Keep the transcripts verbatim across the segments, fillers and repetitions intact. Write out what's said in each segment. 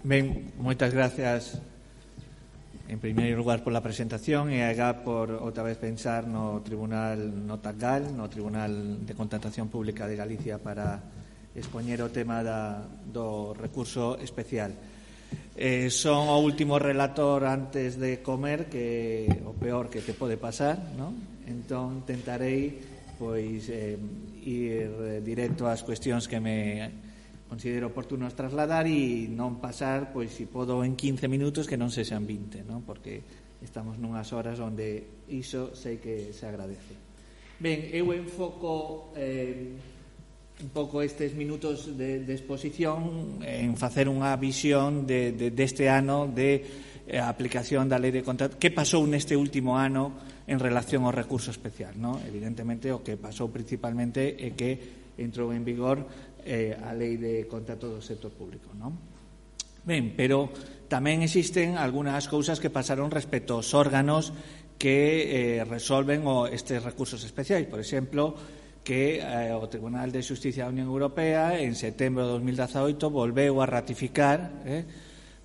Ben, moitas gracias en primeiro lugar pola presentación e agá por outra vez pensar no Tribunal no TACGAL, no Tribunal de Contratación Pública de Galicia para expoñer o tema da, do recurso especial. Eh, son o último relator antes de comer, que o peor que te pode pasar, non? Entón tentarei pois eh, ir directo ás cuestións que me considero oportunos trasladar e non pasar, pois, se podo, en quince minutos que non sexan vinte, non? Porque estamos nunhas horas onde iso sei que se agradece. Ben, eu enfoco eh, un pouco estes minutos de, de exposición en facer unha visión de, de, deste ano de eh, aplicación da Lei de Contrato. Que pasou neste último ano en relación ao recurso especial, non? Evidentemente, o que pasou principalmente é que entrou en vigor Eh, a Lei de Contrato do Sector Público, non? Ben, pero tamén existen algunhas cousas que pasaron respecto aos órganos que eh, resolven o, estes recursos especiais. Por exemplo, que eh, o Tribunal de Xusticia da Unión Europea en setembro de dos mil dezaoito volveu a ratificar eh,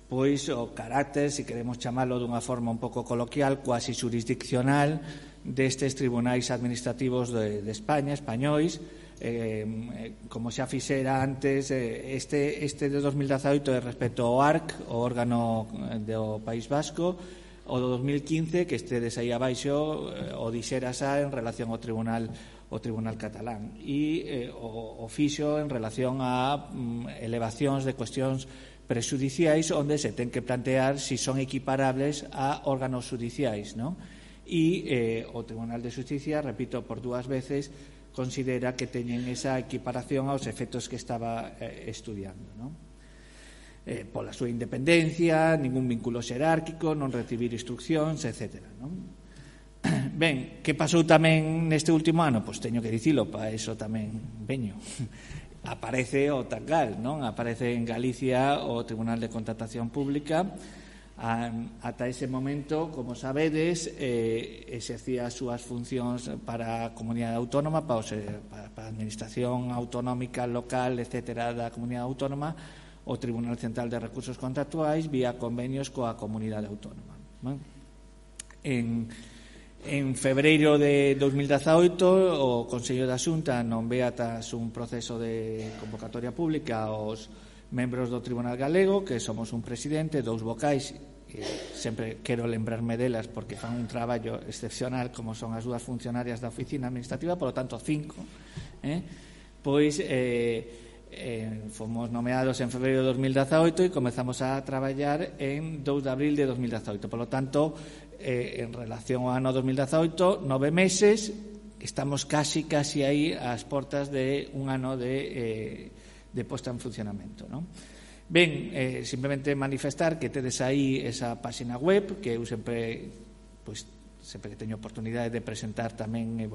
pois o carácter, se queremos chamalo dunha forma un pouco coloquial, cuasi xurisdiccional destes tribunais administrativos de, de España, españois. Eh, como xa fixera antes, eh, este, este de dos mil dezaoito é respecto ao A R C, o órgano do País Vasco, o do dos mil quince, que estedes aí abaixo, eh, o dixera xa en relación ao Tribunal o Tribunal Catalán, e eh, o, o fixo en relación a mm, elevacións de cuestións prexudiciais onde se ten que plantear se si son equiparables a órganos judiciais, non? E eh, o Tribunal de Xusticia, repito por dúas veces, considera que teñen esa equiparación aos efectos que estaba eh, estudiando, non? Eh, pola súa independencia, ningún vínculo xerárquico, non recibir instruccións, etcétera, non? Ben, que pasou tamén neste último ano? Pois teño que dicilo, para iso tamén veño. Aparece o TACGAL, non? Aparece en Galicia o Tribunal de Contratación Pública. Ata ese momento, como sabedes, eh, exercía as súas funcións para a comunidade autónoma, para, os, para, para a administración autonómica local, etcétera, da comunidade autónoma, o Tribunal Central de Recursos Contractuais vía convenios coa comunidade autónoma. ¿No? En, en febreiro de dos mil dezaoito, o Consello da Xunta nombrea tras un proceso de convocatoria pública aos membros do Tribunal Galego, que somos un presidente, dous vocais, e sempre quero lembrarme delas porque fan un traballo excepcional, como son as dúas funcionarias da oficina administrativa, por lo tanto cinco, eh? pois eh, eh, fomos nomeados en febreiro de dos mil dezaoito e comezamos a traballar en dous de abril de dos mil dezaoito, por lo tanto eh, en relación ao ano dos mil dezaoito, nove meses, estamos casi, casi aí ás portas de un ano de eh, de posta en funcionamento, non? Ben, eh, simplemente manifestar que tedes aí esa página web que eu sempre, pois, sempre que teño oportunidade de presentar tamén e,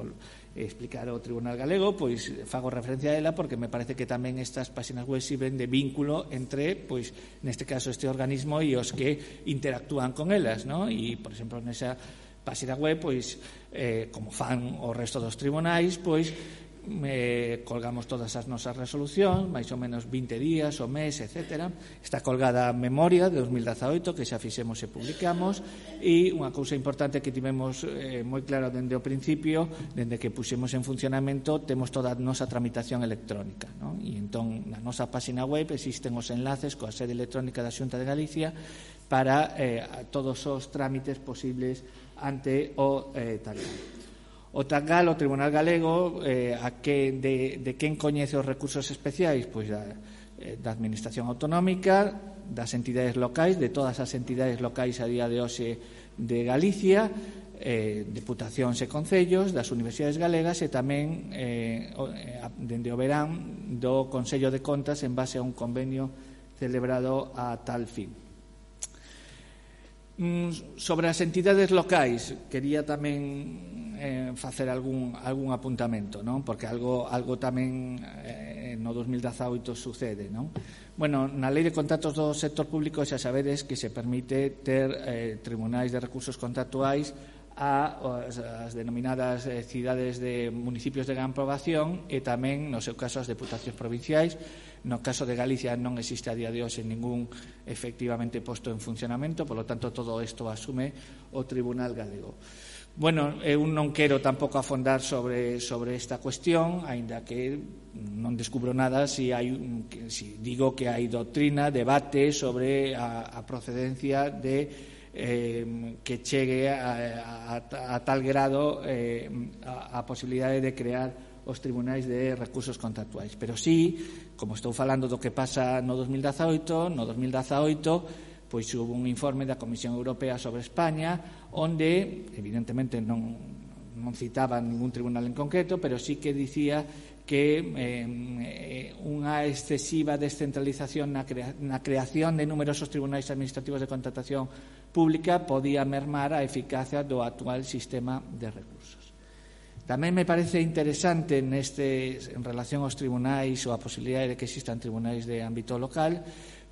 e explicar ao Tribunal Galego, pois fago referencia a ela porque me parece que tamén estas páxinas web sirven de vínculo entre, pois, neste caso este organismo e os que interactúan con elas, non? E, por exemplo, nesa página web, pois, eh, como fan o resto dos tribunais, pois, Eh, colgamos todas as nosas resolucións, máis ou menos vinte días, o mes, etcétera. Está colgada a memoria de dos mil dezaoito que xa fixemos e publicamos, e unha cousa importante que tivemos eh, moi claro dende o principio, dende que puxemos en funcionamento, temos toda a nosa tramitación electrónica, non? E entón na nosa página web existen os enlaces coa sede electrónica da Xunta de Galicia para eh, todos os trámites posibles ante o eh, TACGAL. O TACGAL, o Tribunal Galego, eh, a que, de, de quen coñece os recursos especiais? Pois da, eh, da Administración Autonómica, das entidades locais, de todas as entidades locais a día de hoxe de Galicia, eh, deputacións e concellos, das universidades galegas e tamén eh, dende o verán do Consello de Contas en base a un convenio celebrado a tal fin. Sobre as entidades locais, quería tamén eh, facer algún, algún apuntamento, non? Porque algo, algo tamén eh, no dos mil dezaoito sucede, non? Bueno, na Lei de Contratos do Sector Público xa sabedes que se permite ter eh, tribunais de recursos contractuais as, as denominadas eh, cidades de municipios de gran poboación e tamén, no seu caso, as deputacións provinciais. No caso de Galicia non existe a día de hoxe ningún efectivamente posto en funcionamento, polo tanto, todo isto asume o Tribunal Galego. Bueno, eu non quero tampouco afondar sobre, sobre esta cuestión, aínda que non descubro nada si, hai, si digo que hai doctrina, debate sobre a, a procedencia de Eh, que chegue a, a, a tal grado eh, a, a posibilidade de crear os tribunais de recursos contractuais. Pero sí, como estou falando do que pasa no dos mil dezaoito, no dos mil dezaoito pois houve un informe da Comisión Europea sobre España onde, evidentemente, non, non citaba ningún tribunal en concreto, pero sí que dicía que eh, unha excesiva descentralización na, crea, na creación de numerosos tribunais administrativos de contratación pública podía mermar a eficacia do actual sistema de recursos. Tamén me parece interesante neste, en relación aos tribunais ou a posibilidade de que existan tribunais de ámbito local,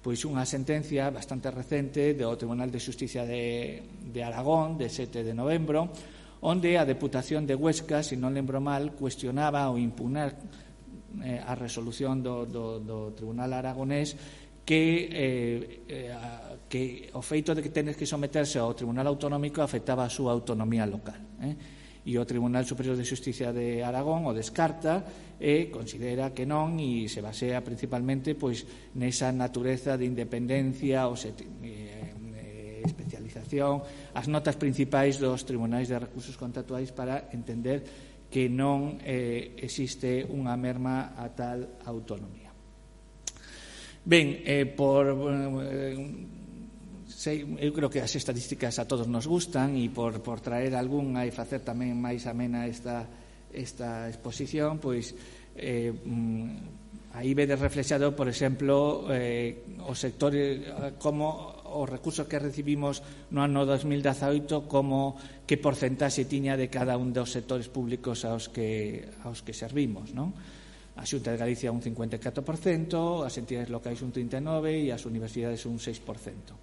pois unha sentencia bastante recente do Tribunal de Xusticia de, de Aragón, de sete de novembro, onde a Deputación de Huesca, se non lembro mal, cuestionaba ou impugnar eh, a resolución do, do, do Tribunal Aragonés que, eh, eh, que o feito de que tenes que someterse ao Tribunal Autonómico afectaba a súa autonomía local. Eh? E o Tribunal Superior de Xusticia de Aragón o descarta e considera que non, e se basea principalmente pois nesa natureza de independencia ou se, eh, especialización, as notas principais dos tribunais de recursos contractuais para entender que non eh, existe unha merma a tal autonomía. Ben, eh, por eh, sei, eu creo que as estadísticas a todos nos gustan e por, por traer algunha e facer tamén máis amena esta, esta exposición, pois eh, aí vedes reflexado, por exemplo, eh, o sector, como os recursos que recibimos no ano dos mil dezaoito, como que porcentaxe tiña de cada un dos sectores públicos aos que, aos que servimos, non? A Xunta de Galicia un cincuenta e catro por cento, as entidades locais un trinta e nove por cento e as universidades un seis por cento.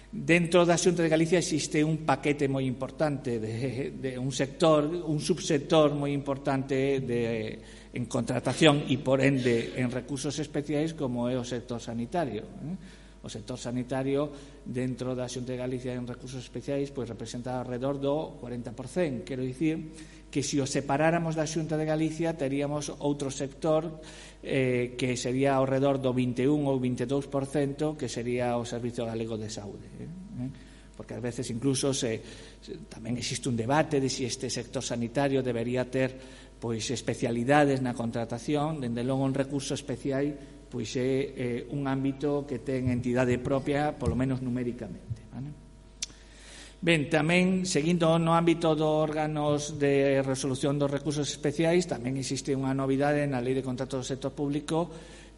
Dentro da Xunta de Galicia existe un paquete moi importante de, de un sector, un subsector moi importante de, en contratación e, por ende, en recursos especiais, como é o sector sanitario. Eh? O sector sanitario dentro da Xunta de Galicia en recursos especiais pois representa alrededor do cuarenta por cento. Quero dicir que se o separáramos da Xunta de Galicia teríamos outro sector eh, que sería ao redor do vinte e un ou vinte e dous por cento, que sería o Servicio Galego de Saúde. Eh? Porque ás veces incluso se, se, tamén existe un debate de se si este sector sanitario debería ter pois especialidades na contratación. Dende logo en recursos especiais pois é eh, un ámbito que ten entidade propia, polo menos numéricamente. Vale? Ben, tamén, seguindo no ámbito dos órganos de resolución dos recursos especiais, tamén existe unha novidade na Lei de Contratos do Sector Público,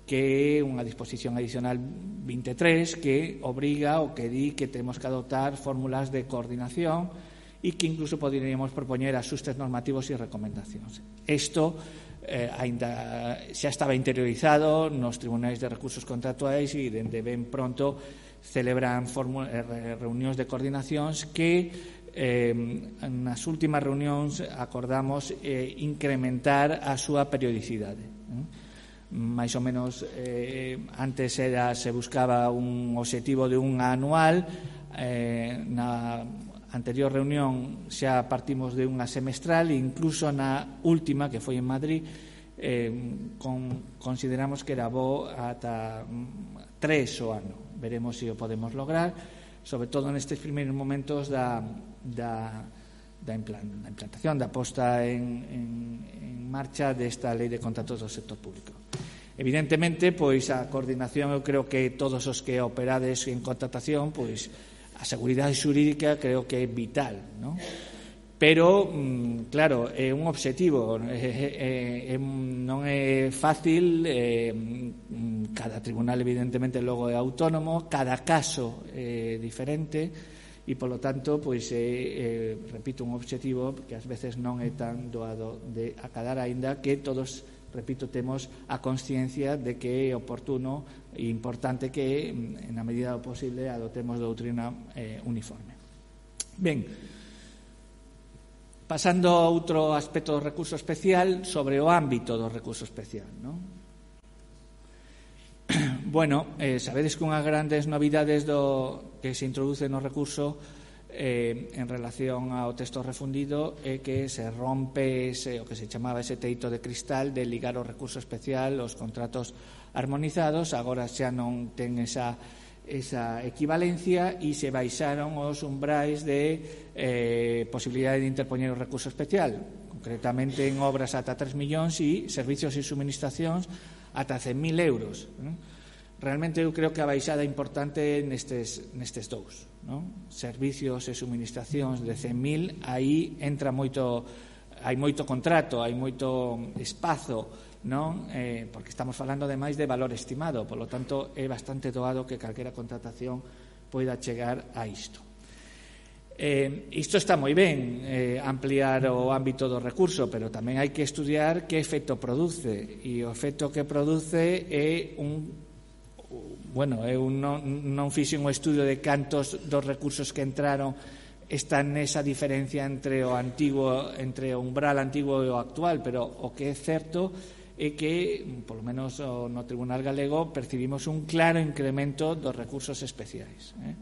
que é unha disposición adicional vinte e tres, que obriga ou que di que temos que adoptar fórmulas de coordinación e que incluso poderíamos propoñer axustes normativos e recomendacións. Isto eh, ainda xa estaba interiorizado nos tribunais de recursos contractuais e dende ben pronto celebran reunións de coordinacións que eh, nas últimas reunións acordamos eh, incrementar a súa periodicidade. Eh? Mais ou menos eh, antes era, se buscaba un obxectivo de unha anual, eh, na anterior reunión xa partimos de unha semestral e incluso na última, que foi en Madrid, eh, con, consideramos que era bo ata tres o ano. Veremos se o podemos lograr, sobre todo nestes primeiros momentos da, da, da, implant, da implantación, da posta en, en, en marcha desta Lei de Contratos do Sector Público. Evidentemente, pois a coordinación, eu creo que todos os que operades en contratación, pois a seguridade xurídica creo que é vital, non? Pero, claro, é un obxectivo, é, é, non é fácil, é, cada tribunal evidentemente logo é autónomo, cada caso é diferente e, polo tanto, pois é, é, repito, un obxectivo que ás veces non é tan doado de acadar, aínda que todos, repito, temos a consciencia de que é oportuno e importante que, na medida do posible, adoptemos doutrina eh, uniforme. Ben, Pasando a outro aspecto do recurso especial, sobre o ámbito do recurso especial, non? Bueno, eh, sabedes que unhas grandes novidades do que se introduce no recurso eh, en relación ao texto refundido é que se rompe ese, o que se chamaba ese teito de cristal de ligar o recurso especial aos contratos armonizados. Agora xa non ten esa esa equivalencia e se baixaron os umbrais de eh, posibilidade de interpoñer o recurso especial, concretamente en obras ata tres millóns e servicios e suministracións ata cen mil euros. Realmente eu creo que a baixada importante nestes, nestes dous, non? Servicios e suministracións de cen mil, aí entra moito, hai moito contrato, hai moito espazo, non? Eh, porque estamos falando ademais de valor estimado, polo tanto é bastante doado que calquera contratación poida chegar a isto. Eh, isto está moi ben, eh, ampliar o ámbito do recurso, pero tamén hai que estudiar que efecto produce, e o efecto que produce é un, bueno, eu non, non fixen un estudio de cantos dos recursos que entraron están nesa diferencia entre o antigo, entre o umbral antigo e o actual, pero o que é certo é que, polo menos no Tribunal Galego, percibimos un claro incremento dos recursos especiais. Eh?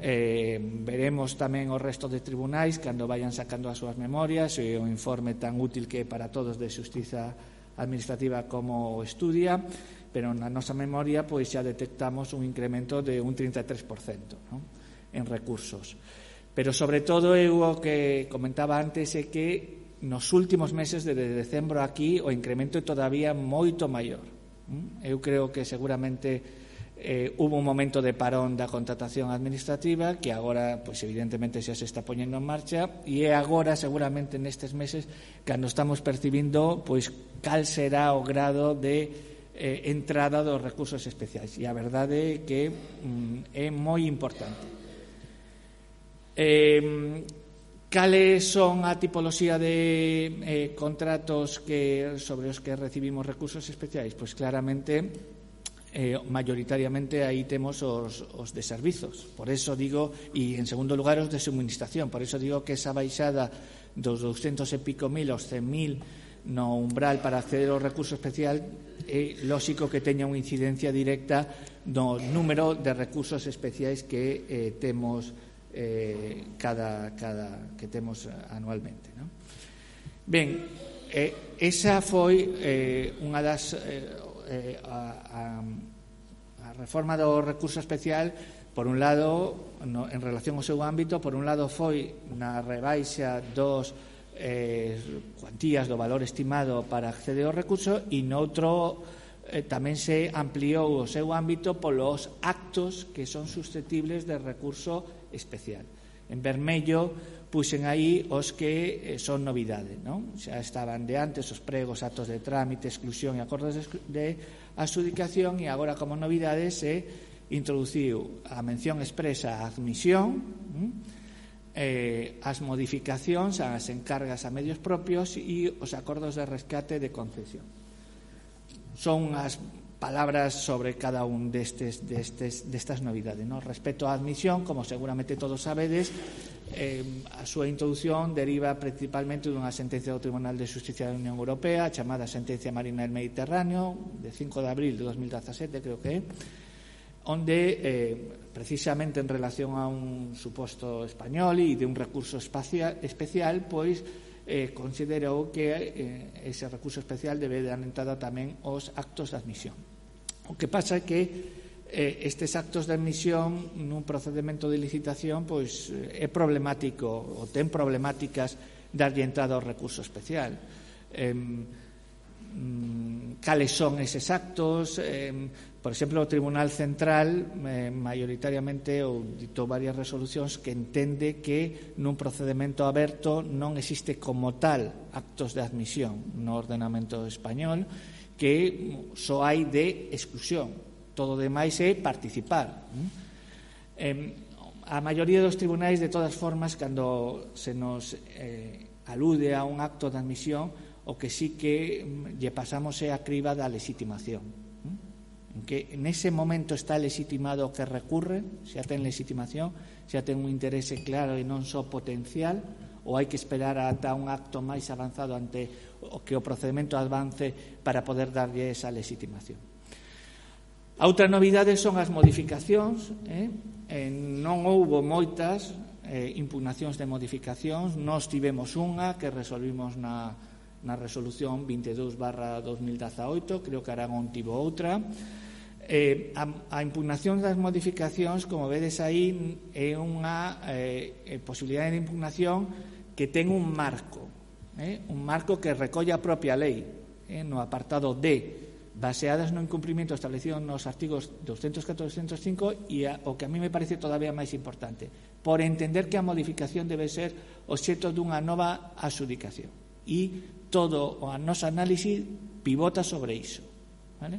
Eh, veremos tamén o resto de tribunais cando vayan sacando as súas memorias e o informe tan útil que é para todos de xustiza administrativa como o estudia, pero na nosa memoria pois xa detectamos un incremento de un trinta e tres por cento, non? En recursos. Pero sobre todo eu o que comentaba antes é que nos últimos meses, desde decembro aquí, o incremento é todavía moito maior. Eu creo que seguramente eh, hubo un momento de parón da contratación administrativa que agora, pois evidentemente, xa se está poñendo en marcha, e é agora, seguramente, nestes meses, cando estamos percibindo pois cal será o grado de eh, entrada dos recursos especiais. E a verdade é que mm, é moi importante. Eh, Cales son a tipoloxía de eh, contratos que sobre os que recibimos recursos especiais? Pois claramente, eh, mayoritariamente aí temos os, os de servizos. Por eso digo, e en segundo lugar os de suministración, por eso digo que esa baixada dos douscentos e pico mil aos cen mil no umbral para acceder ao recurso especial é lóxico que teña unha incidencia directa no número de recursos especiais que eh, temos Eh, cada, cada que temos anualmente, non? Ben, eh, esa foi eh, unha das eh, eh, a, a, a reforma do recurso especial. Por un lado, no, en relación ao seu ámbito, por un lado foi na rebaixa dos eh, cuantías do valor estimado para acceder ao recurso, e noutro eh, tamén se ampliou o seu ámbito polos actos que son susceptibles de recurso especial. En vermello puxen aí os que eh, son novidade, non? Xa estaban de antes os pregos, actos de trámite, exclusión e acordos de, de adxudicación, e agora como novidades se introduciu a mención expresa a admisión, eh, as modificacións, as encargas a medios propios e os acordos de rescate de concesión. Son as palabras sobre cada un destes, destes, destas novidades, ¿no? Respecto á admisión, como seguramente todos sabedes, eh, a súa introdución deriva principalmente dunha sentencia do Tribunal de Xusticia da Unión Europea, chamada Sentencia Marina del Mediterráneo, de cinco de abril de dos mil dezasete, creo que é, onde, eh, precisamente en relación a un suposto español e de un recurso espacial, especial, pois, eh, considerou que eh, ese recurso especial debe dar entrada tamén aos actos de admisión. O que pasa é que eh, estes actos de admisión nun procedimento de licitación pois é problemático, ou ten problemáticas darlle entrada ao recurso especial. Eh, cales son eses actos? Eh, por exemplo, o Tribunal Central eh, maioritariamente ou ditou varias resolucións que entende que nun procedimento aberto non existe como tal actos de admisión no ordenamento español, que só hai de exclusión, todo o demais é participar. Eh, a maioría dos tribunais, de todas formas, cando se nos eh, alude a un acto de admisión, o que sí que lle pasamos é a criba da legitimación, en que nese momento está legitimado o que recurre, xa ten legitimación, xa ten un interese claro e non só potencial, ou hai que esperar ata un acto máis avanzado ante o que o procedimento avance para poder darlle esa legitimación. A outra novidade son as modificacións, eh? Eh, non houbo moitas eh, impugnacións de modificacións, nós tivemos unha que resolvimos na, na resolución vinte e dous barra dos mil dezaoito, creo que Aragón tivo outra. Eh, a, a impugnación das modificacións, como vedes aí, é unha eh, posibilidade de impugnación que ten un marco, eh? un marco que recolle a propia lei, eh? no apartado D, baseadas no incumprimento establecido nos artigos doscientos catro e doscientos cinco e a, o que a mí me parece todavía máis importante, por entender que a modificación debe ser obxecto dunha nova adxudicación e todo o noso análisis pivota sobre iso, vale?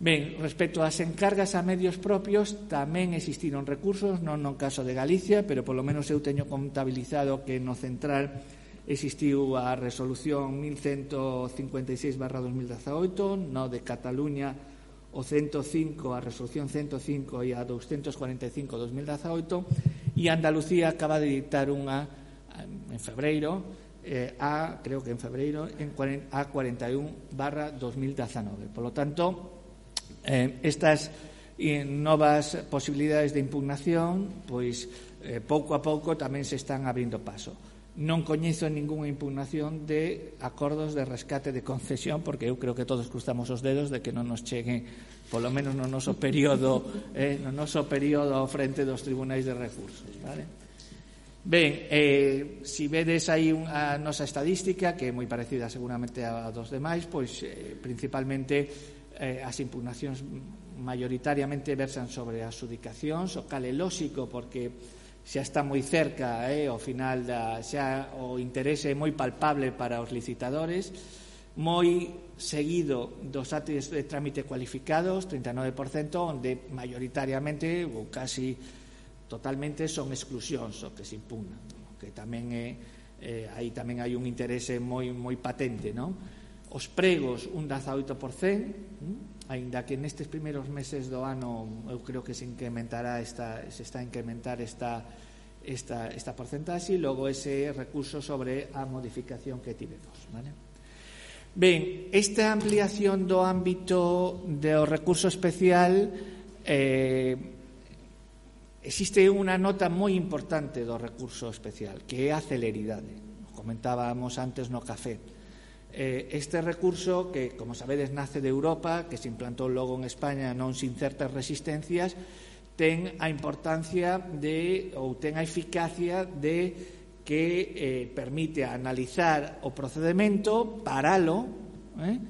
Ben, respecto ás encargas a medios propios tamén existiron recursos, non no caso de Galicia, pero polo menos eu teño contabilizado que no central existiu a resolución mil ciento cincuenta e seis barra dos mil dezaoito, no de Cataluña o ciento cinco, a resolución ciento cinco e a doscientos cuarenta e cinco dos mil dezaoito, e Andalucía acaba de dictar unha en febreiro, eh, a, creo que en febreiro, en a cuarenta e un barra dos mil dezanove. Por lo tanto, eh, estas eh, novas posibilidades de impugnación, pois eh, pouco a pouco tamén se están abrindo paso. Non coñezo ningunha impugnación de acordos de rescate de concesión, porque eu creo que todos cruzamos os dedos de que non nos chegue, polo menos no noso período, eh, no noso período ao frente dos tribunais de recursos, vale? Ben, eh, si vedes aí a nosa estadística, que é moi parecida seguramente a dos demais, pois eh, principalmente eh, as impugnacións maioritariamente versan sobre as adxudicacións, o cal é lóxico porque xa está moi cerca, eh, ao final da, xa o interese é moi palpable para os licitadores, moi seguido dos actos de trámite cualificados, trinta e nove por cento, onde maioritariamente ou casi totalmente son exclusións o que se impugnan, que tamén é, eh, aí tamén hai un interese moi moi patente, non? Os pregos un dezaoito por cento, hm? aínda que nestes primeiros meses do ano eu creo que se incrementará esta, se está a incrementar esta, esta, esta porcentaxe, e logo ese recurso sobre a modificación que tivemos, vale? Ben, esta ampliación do ámbito do recurso especial, eh, existe unha nota moi importante do recurso especial, que é a celeridade. Comentábamos antes no café. Este recurso, que, como sabedes, nace de Europa, que se implantou logo en España non sin certas resistencias, ten a importancia de, ou ten a eficacia de que eh, permite analizar o procedimento, paralo, eh,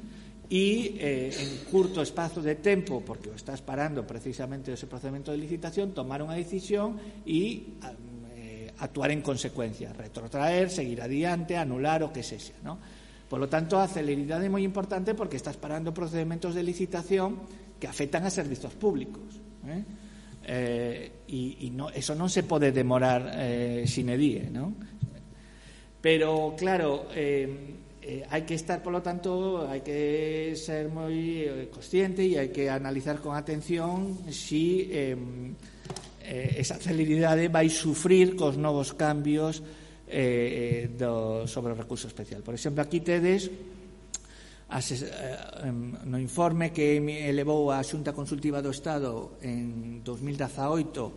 e eh, en curto espazo de tempo, porque o estás parando precisamente ese procedimento de licitación, tomar unha decisión e eh, actuar en consecuencia, retrotraer, seguir adiante, anular o que sexa, non? Por lo tanto, a celeridade é moi importante porque estás parando procedementos de licitación que afectan a servizos públicos, eh? Eh, e, e no, eso non se pode demorar eh, sine die, non? Pero, claro, eh, eh, hai que estar, por lo tanto, hai que ser moi eh, consciente e hai que analizar con atención si eh, eh, esa celeridade vai sufrir cos novos cambios Eh, do, sobre o recurso especial. Por exemplo, aquí tedes as, eh, no informe que elevou a Xunta Consultiva do Estado en dos mil dezaoito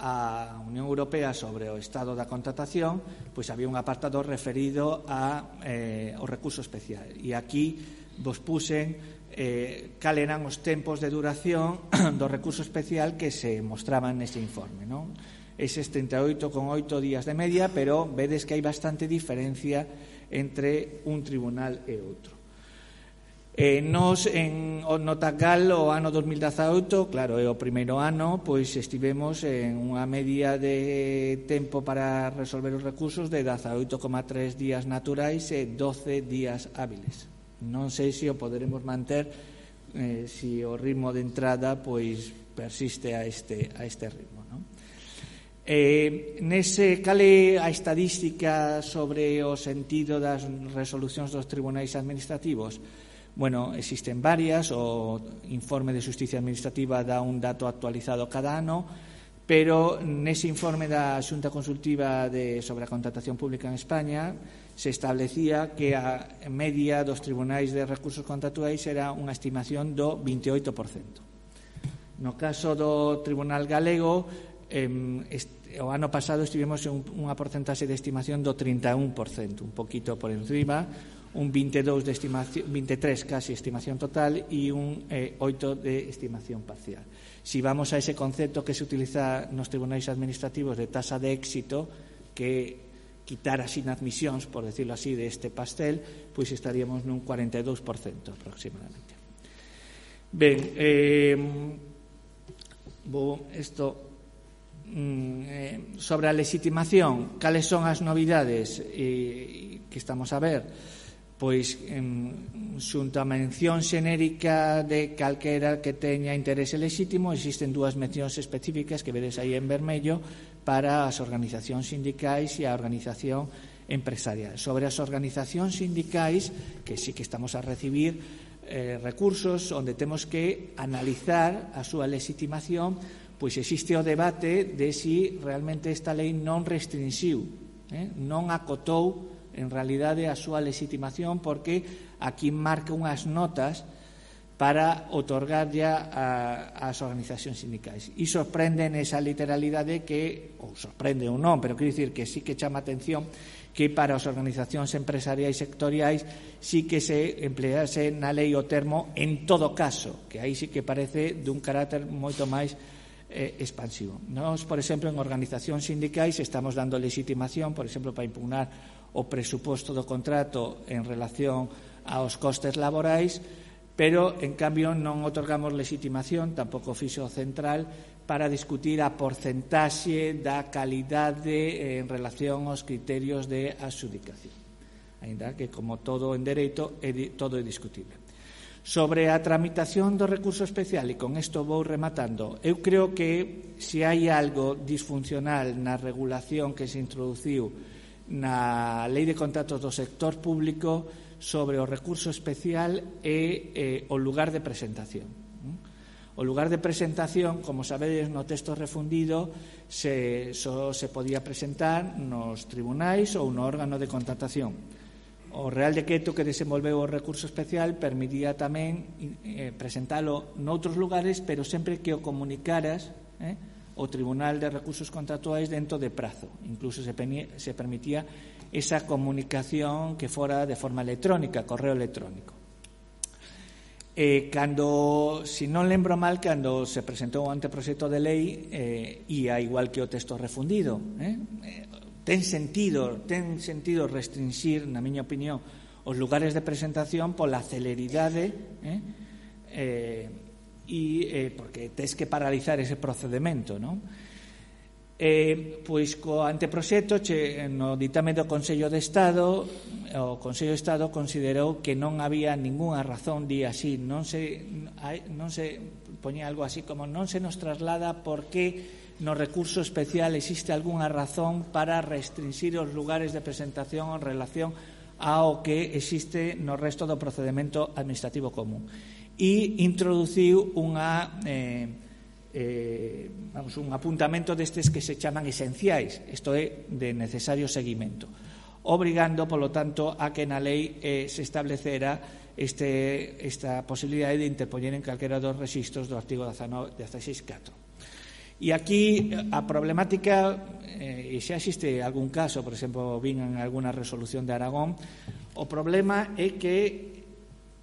a Unión Europea sobre o estado da contratación, pois había un apartado referido a, eh, ao recurso especial, e aquí vos puxen eh, cal eran os tempos de duración do recurso especial que se mostraban nese informe, non? Eses trinta e oito coma oito días de media, pero vedes que hai bastante diferencia entre un tribunal e outro. Eh, nos, en, no Tagal, o ano dos mil dezaoito, claro, é o primeiro ano, pois estivemos en unha media de tempo para resolver os recursos de dezaoito coma tres días naturais e doce días hábiles. Non sei se o poderemos manter, eh, se o ritmo de entrada pois persiste a este, a este ritmo, non? Eh, nese, cal é a estadística sobre o sentido das resolucións dos tribunais administrativos? Bueno, existen varias, o informe de Xusticia Administrativa dá un dato actualizado cada ano, pero nese informe da Xunta Consultiva de, sobre a contratación pública en España se establecía que a media dos tribunais de recursos contractuais era unha estimación do veintioito por cento. No caso do Tribunal Galego, eh, este, o ano pasado estivemos en unha porcentaxe de estimación do trinta e un por cento, un poquito por encima, un veintidós de estimación, veintitrés casi estimación total e un eh, oito de estimación parcial. Si vamos a ese concepto que se utiliza nos tribunais administrativos de tasa de éxito, que quitar as inadmisións, por decirlo así, de este pastel, pois estaríamos nun cuarenta e dous por cento aproximadamente. Ben, eh, vou isto mm, eh, sobre a legitimación, cales son as novidades eh, que estamos a ver? Pois en, xunto a mención xenérica de calquera que teña interese lexítimo, existen dúas mencións específicas que vedes aí en vermello para as organizacións sindicais e a organización empresarial. Sobre as organizacións sindicais, que sí que estamos a recibir eh, recursos onde temos que analizar a súa legitimación, pois existe o debate de si realmente esta lei non restrinxiu, eh, non acotou en realidade a súa legitimación, porque aquí marca unhas notas para otorgar ya ás organizacións sindicais. E sorprende nesa literalidade que, ou sorprende ou non, pero quero dicir que sí que chama atención que para as organizacións empresariais sectoriais sí que se emplease na lei o termo en todo caso, que aí sí que parece dun carácter moito máis eh, expansivo. Nós, por exemplo, en organizacións sindicais estamos dando legitimación, por exemplo, para impugnar o presuposto do contrato en relación aos costes laborais, pero, en cambio, non otorgamos legitimación, tampouco fixo central, para discutir a porcentaxe da calidade en relación aos criterios de adxudicación. Ainda que, como todo en dereito, é, todo é discutible. Sobre a tramitación do recurso especial, e con isto vou rematando, eu creo que se hai algo disfuncional na regulación que se introduciu na Lei de Contratos do Sector Público sobre o recurso especial e eh, o lugar de presentación. O lugar de presentación, como sabedes, no texto refundido se, só se podía presentar nos tribunais ou no órgano de contratación. O Real Decreto que desenvolveu o recurso especial permitía tamén eh, presentalo noutros lugares, pero sempre que o comunicaras eh, o Tribunal de Recursos Contractuais dentro de prazo. Incluso se, se permitía esa comunicación que fora de forma electrónica, correo electrónico. Eh, cando, si non lembro mal, cando se presentou o anteproxecto de lei, eh, e a igual que o texto refundido, eh, eh, ten sentido, ten sentido restringir, na miña opinión, os lugares de presentación pola celeridade, eh, eh, e eh, porque tes que paralizar ese procedimento, non? Eh, pois co anteproxecto che, no ditame do Consello de Estado, o Consello de Estado considerou que non había ningunha razón, di así, non se, non se poñía algo así como non se nos traslada porque no recurso especial existe algunha razón para restringir os lugares de presentación en relación ao que existe no resto do procedimento administrativo común. E introduciu unha eh, eh, vamos, un apuntamento destes que se chaman esenciais, isto é, de necesario seguimento, obrigando, polo tanto, a que na lei eh, se establecera este, esta posibilidade de interpoñer en calquera dos rexistros do artigo dezasseis punto catro. E aquí a problemática, eh, e xa existe algún caso, por exemplo, vin en alguna resolución de Aragón, o problema é que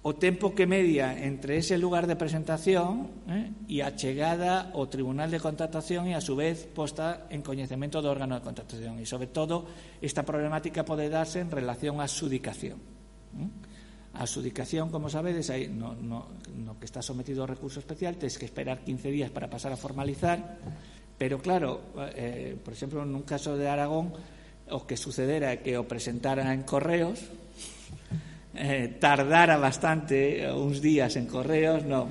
o tempo que media entre ese lugar de presentación eh, e a chegada ao Tribunal de Contratación e, a su vez, posta en coñecemento do órgano de contratación. E, sobre todo, esta problemática pode darse en relación á adxudicación. Eh? A adxudicación, como sabedes, aí, no, no, no que está sometido ao recurso especial, tens que esperar quince días para pasar a formalizar, pero, claro, eh, por exemplo, nun caso de Aragón, o que sucedera é que o presentara en correos, Eh, tardara bastante, uns días en correos, non.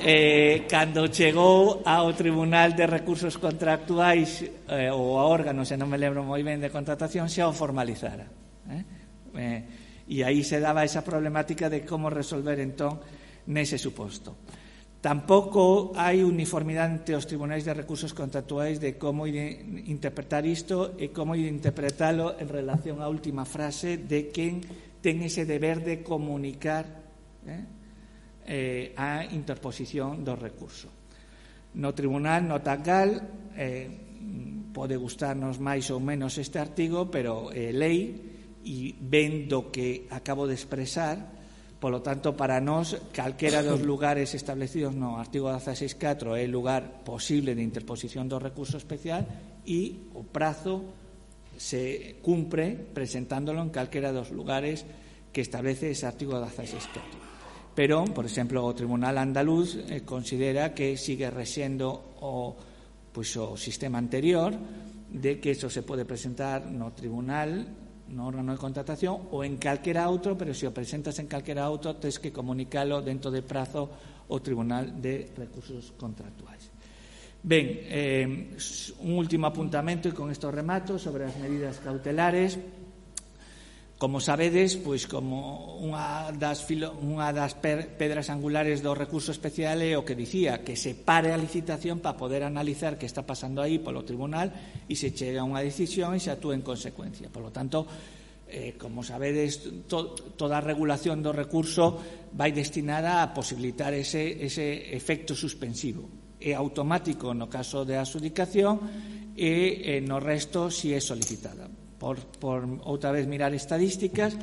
Eh, cando chegou ao Tribunal de Recursos Contractuais eh, ou ao órgano, se non me lembro moi ben, de contratación, xa o formalizara. Eh? Eh, e aí se daba esa problemática de como resolver entón nese suposto. Tampouco hai uniformidade entre os tribunais de recursos contractuais de como interpretar isto e como interpretalo en relación á última frase de quen ten ese deber de comunicar eh, eh, a interposición do recurso. No tribunal, no TACGAL, eh, pode gustarnos máis ou menos este artigo, pero é lei e ven do que acabo de expresar. Polo tanto, para nós, calquera dos lugares establecidos no artigo dieciséis punto catro é o lugar posible de interposición do recurso especial e o prazo se cumpre presentándolo en calquera dos lugares que establece ese artigo dieciséis punto catro. Pero, por exemplo, o Tribunal Andaluz eh, considera que sigue rexendo o, pois, o sistema anterior de que eso se pode presentar no tribunal, no órgano de contratación ou en calquera outro, pero se o presentas en calquera outro tens que comunicalo dentro de prazo ao Tribunal de Recursos Contractuais. Ben, eh, un último apuntamento e con isto remato sobre as medidas cautelares. Como sabedes, pois como unha das, filo, unha das pedras angulares do recurso especial é o que dicía, que se pare a licitación para poder analizar que está pasando aí polo tribunal e se chega a unha decisión e se actúe en consecuencia. Por lo tanto, eh, como sabedes, to, toda a regulación do recurso vai destinada a posibilitar ese, ese efecto suspensivo. É automático no caso de adxudicación e eh, no resto si é solicitada. Por, por outra vez mirar estadísticas,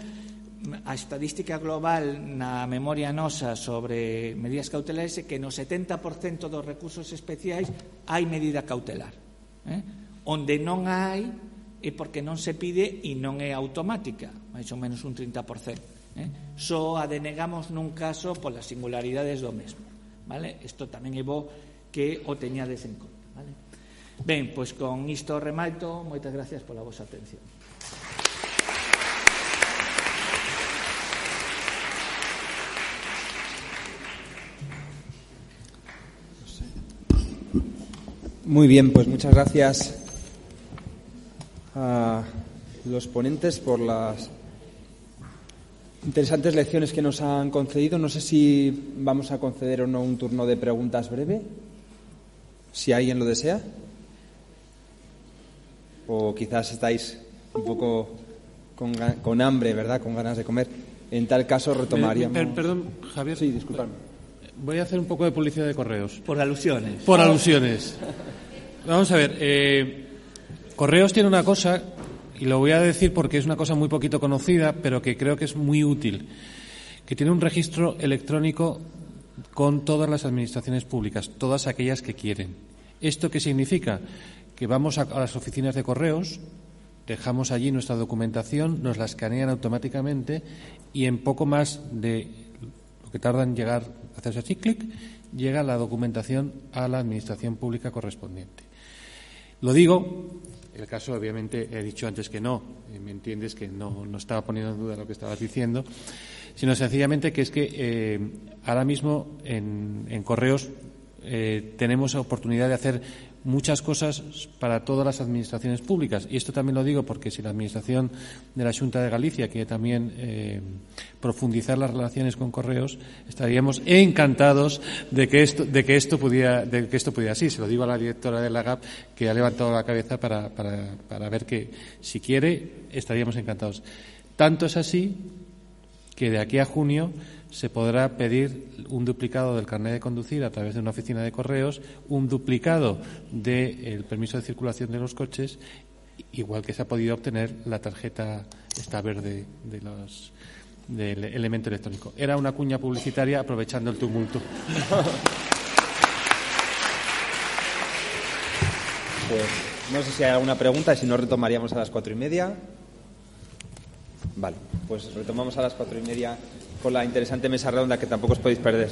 a estadística global na memoria nosa sobre medidas cautelares é que no setenta por cento dos recursos especiais hai medida cautelar. Eh? Onde non hai é porque non se pide e non é automática, máis ou menos un trinta por cento. Eh? Só a denegamos nun caso polas singularidades do mesmo. Vale? Isto tamén é bo que o teñades en conta. Vale? Ben, pois con isto remato, moitas gracias pola vosa atención. Muy bien, pues muchas gracias a los ponentes por las interesantes lecciones que nos han concedido. No sé si vamos a conceder o no un turno de preguntas breve, si alguien lo desea. O quizás estáis un poco con, con hambre, ¿verdad? Con ganas de comer. En tal caso retomaríamos... Per, perdón, Javier. Sí, disculpadme. Voy a hacer un poco de publicidad de Correos. Por alusiones. Por alusiones. Vamos a ver. Eh, Correos tiene una cosa, y lo voy a decir porque es una cosa muy poquito conocida, pero que creo que es muy útil, que tiene un registro electrónico con todas las administraciones públicas, todas aquellas que quieren. ¿Esto qué significa? Que vamos a, a las oficinas de correos, dejamos allí nuestra documentación, nos la escanean automáticamente y en poco más de lo que tarda en llegar, hacerse así, clic, llega la documentación a la administración pública correspondiente. Lo digo, el caso obviamente he dicho antes que no, me entiendes que no, no estaba poniendo en duda lo que estabas diciendo, sino sencillamente que es que eh, ahora mismo en, en correos eh, tenemos la oportunidad de hacer muchas cosas para todas las administraciones públicas. Y esto también lo digo porque si la Administración de la Xunta de Galicia quiere también eh, profundizar las relaciones con correos, estaríamos encantados de que esto, de que esto pudiera, de que esto pudiera así. Se lo digo a la directora de la G A P, que ha levantado la cabeza para, para, para ver que, si quiere, estaríamos encantados. Tanto es así que de aquí a junio se podrá pedir un duplicado del carnet de conducir a través de una oficina de correos, un duplicado del permiso de circulación de los coches, igual que se ha podido obtener la tarjeta esta verde de los, del elemento electrónico. Era una cuña publicitaria aprovechando el tumulto. Pues no sé si hay alguna pregunta, si no retomaríamos a las cuatro y media. Vale, pues retomamos a las cuatro y media con la interesante mesa redonda que tampoco os podéis perder.